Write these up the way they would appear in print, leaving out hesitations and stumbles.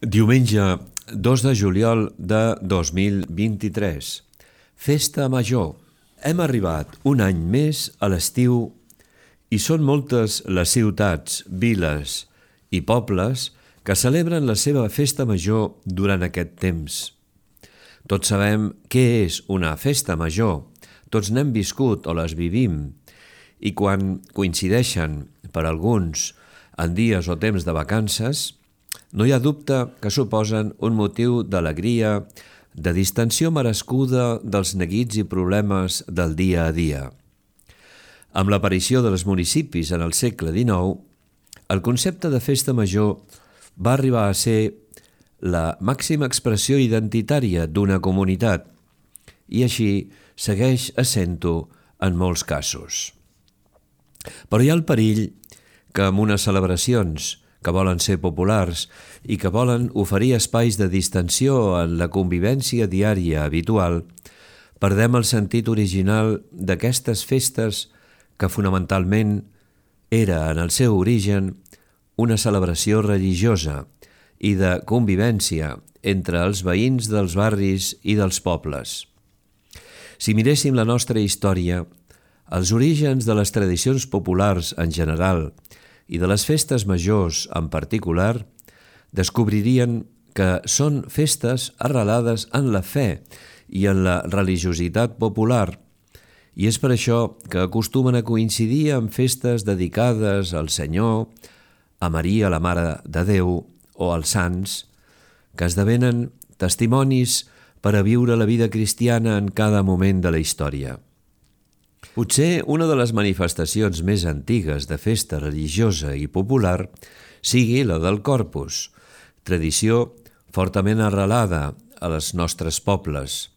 Diumenge 2 de juliol de 2023. Festa Major. Hem arribat un any més a l'estiu i són moltes les ciutats, viles i pobles que celebren la seva festa major durant aquest temps. Tots sabem què és una festa major, tots n'hem viscut o les vivim, i quan coincideixen per alguns en dies o temps de vacances, no hi ha dubte que suposen un motiu d'alegria, de distensió merescuda dels neguits i problemes del dia a dia. Amb l'aparició dels municipis en el segle XIX, el concepte de festa major va arribar a ser la màxima expressió identitària d'una comunitat i així segueix essent-ho en molts casos. Però hi ha el perill que amb unes celebracions que volen ser populars i que volen oferir espais de distensió en la convivència diària habitual, perdem el sentit original d'aquestes festes que fonamentalment era en el seu origen una celebració religiosa i de convivència entre els veïns dels barris i dels pobles. Si miréssim la nostra història, els orígens de les tradicions populars en general i de les festes majors en particular, descobririen que són festes arrelades en la fe i en la religiositat popular, i és per això que acostumen a coincidir amb festes dedicades al Senyor, a Maria, la Mare de Déu, o als sants, que esdevenen testimonis per a viure la vida cristiana en cada moment de la història. Potser una de les manifestacions més antigues de festa religiosa i popular sigui la del Corpus, tradició fortament arrelada a les nostres pobles,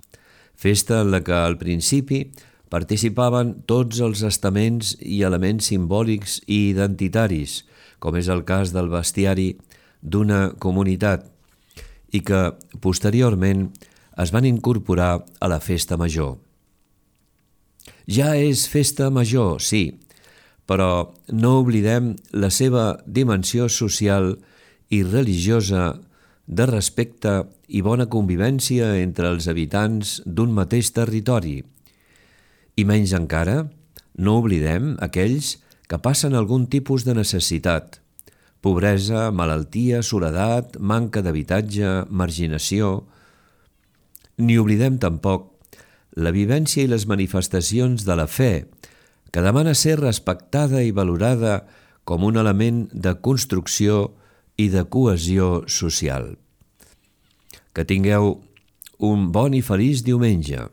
festa en la que al principi participaven tots els estaments i elements simbòlics i identitaris, com és el cas del bestiari d'una comunitat, i que posteriorment es van incorporar a la festa major. Ja és festa major, sí, però no oblidem la seva dimensió social i religiosa de respecte i bona convivència entre els habitants d'un mateix territori. I menys encara, no oblidem aquells que passen algun tipus de necessitat, pobresa, malaltia, soledat, manca d'habitatge, marginació. Ni oblidem tampoc la vivència i les manifestacions de la fe, que demana ser respectada i valorada com un element de construcció i de cohesió social. Que tingueu un bon i feliç diumenge.